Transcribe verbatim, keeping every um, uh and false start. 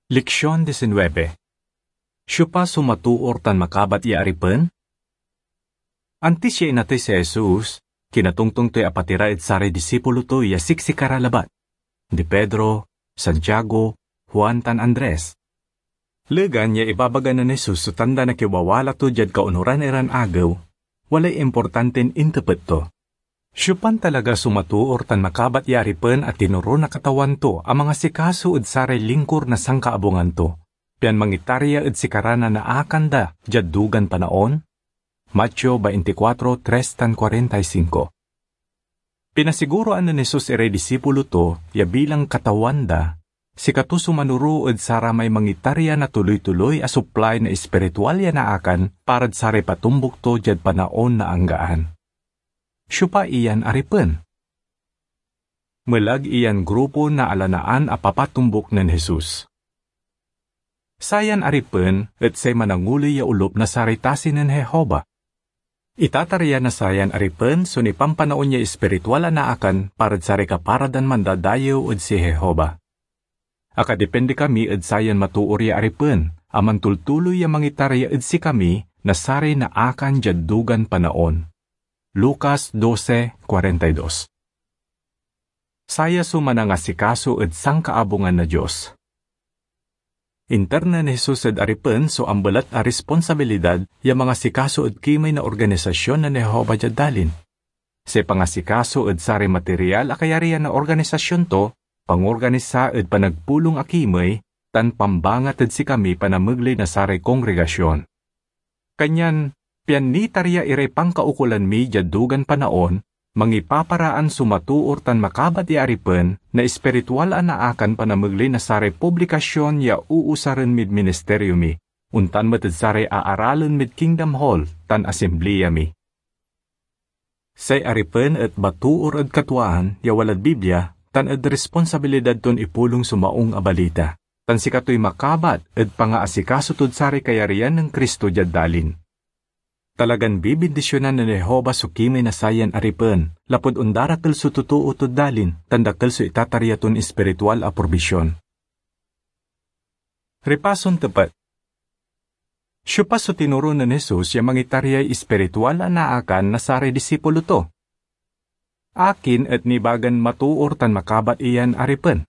Leksion diecinuebe. Siopa so matoor tan makabat ya aripen? Antis ya inatey si Jesus, kinatongtong toy apatira ed saray disipulo to ya siksikara labat, di Pedro, Santiago, Juan, tan Andres. Legan ya ibabaga nen Jesus so tanda na kiwawala to diad kaonuran iran agew, walay importantin intepet to. Siopan talaga so matoor tan makabat ya aripen a tinoro na Katawan to a mangasikaso ed saray lingkor na sankaabungan to, pian mangitarya ed sikara na naakan da diad dugan panaon? Mateo veinticuatro tres tan cuarenta y cinco. Pinasiguroan nen Jesus iray disipulo to ya bilang Katawan da, sikato so manoro ed saramay mangitarya na tuloy-tuloy a suplay na espiritual ya naakan parad saray patumbok to diad panaon na anggaan. Siopa iyan aripen? Melag iyan grupo na alanaan a papatumbok nen Jesus. Sayan aripen et say mananguloy ya olop na saray tasi nen Jehovah. Itatarya na sayan aripen so nipampanaon ya espiritual a naakan parad saray kapara dan mandadayew ed si Jehovah. Akadepende kami ed sayan matoor ya aripen a mantultuloy ya mangitarya ed sikami na saray naakan diad dugan panaon. Lucas doce cuarenta y dos. Saya so manangasikaso ed sankaabungan na Dios. Inter nen Jesus ed aripen so ambelat a responsabilidad ya mangasikaso ed kimey na organisasyon nen Jehovah diad dalin. Say pangasikaso ed saray material a kayarian na organisasyon to, pangorganisa ed panagpulong a kimey, tan pambangat ed sikami panamegley na saray kongregasyon. Kanyan, pian nitarya iray pankaukolan mi diad dugan panaon, mangipaparaan so matoor tan makabat ya aripen na espiritual a naakan panamegley na saray publikasyon ya uusaren mid ministeryo mi, ontan met ed saray aaralen mid Kingdom Hall tan Asimblea mi. Say aripen et matoor ed katwaan ya walad Biblia tan ed responsabilidad ton ipulong so Maung a Balita, tan sikatoy makabat ed pangaasikaso tod saray kayarian nen Cristo diad dalin. Talagan bibindisionan nen Jehovah so kimey na sayan aripen, lapud ondarakel so totoo tod dalin tan dakel so itatarya ton espiritual a probision. Ripason tepet. Siopa so tinoro nen Jesus ya mangitaryay espiritual a naakan na saray disipulo to? Akin et nibagan matoor tan makabat iyan aripen?